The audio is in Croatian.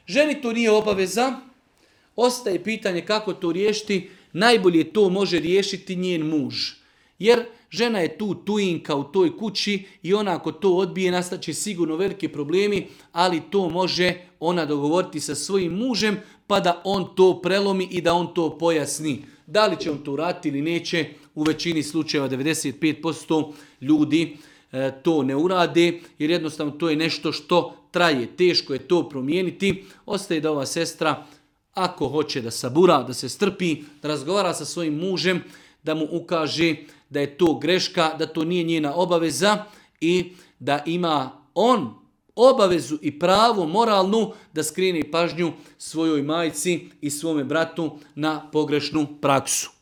Ženi to nije obaveza, ostaje pitanje kako to riješiti. Najbolje to može riješiti njen muž. Jer žena je tu tujinka u toj kući i ona ako to odbije nastaće sigurno veliki problemi, ali to može ona dogovoriti sa svojim mužem pa da on to prelomi i da on to pojasni. Da li će on to uraditi ili neće, u većini slučajeva 95% ljudi to ne urade jer jednostavno to je nešto što traje, teško je to promijeniti. Ostaje da ova sestra ako hoće da sabura, da se strpi, da razgovara sa svojim mužem, da mu ukaže da je to greška, da to nije njena obaveza i da ima on obavezu i pravo moralnu da skrene pažnju svojoj majci i svome bratu na pogrešnu praksu.